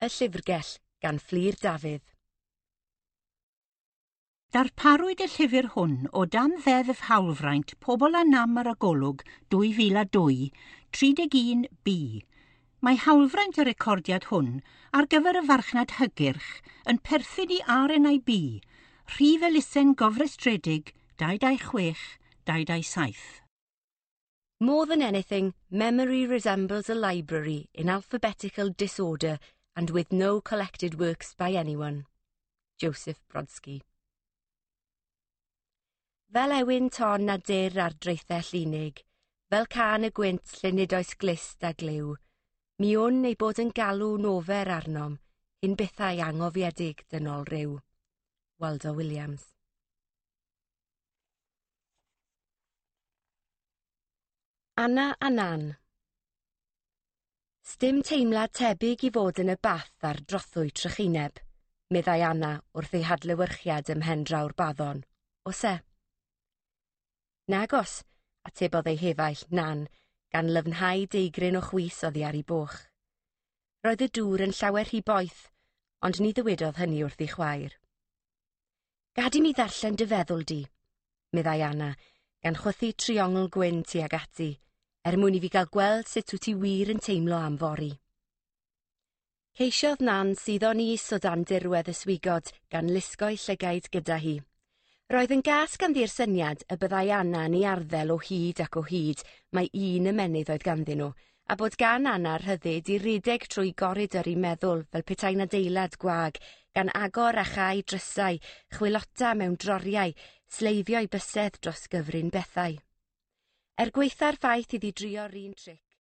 Y Llyfrgell gan Fflur Dafydd. Darparwyd y llyfr hwn o dan Ddeddf Hawlfraint Pobl â Nam ar y Golwg 2002, 31B. Mae hawlfraint y recordiad hwn ar gyfer y farchnad hygyrch yn perthyn i RNIB, rhif elusen gofrestredig 226 227. More than anything, memory resembles a library in alphabetical disorder and with no collected works by anyone. Joseph Brodsky. Fel ewyn ton a dur ar draethell unig, fel cân y gwynt lle nid oes glust a glyw, mi wn ei bod yn galw nofer arnom, hyn bethau angofiedig dynol ryw. Waldo Williams. Anna a Nan. Sdim teimlad tebyg i fod yn y bath ar drothwy trychineb, meddai Anna wrth ei hadlewyrchiad ym mhen draw'r baddon. Oes e? Nagos, atebodd ei hefaill, Nan, gan lyfnhau deigryn o chwys oddi ar ei boch. Roedd y dŵr yn llawer rhy boeth, ond ni ddywedodd hynny wrth ei chwaer. Gad i mi ddarllen dy feddwl di, meddai Anna, gan chwythu triongl gwyn tuag ati, er mwyn i fi gael gweld sut wyt ti wir yn teimlo am fory. Ceisiodd Nan suddo'n is o dan dirwedd y swigod gan lusgo'i llygaid gyda hi. Roedd yn gas ganddi'r syniad y byddai Anna yn ei arddel o hyd ac o hyd mai un ymennydd oedd ganddyn nhw, a bod gan Anna rhyddid i redeg trwy goridor ei meddwl fel petai'n adeilad gwag, gan agor a chau drysau, chwilota mewn droriau, sleifio'i bysedd dros gyfrin bethau. Er gwaetha'r ffaith iddi drio'r un tric,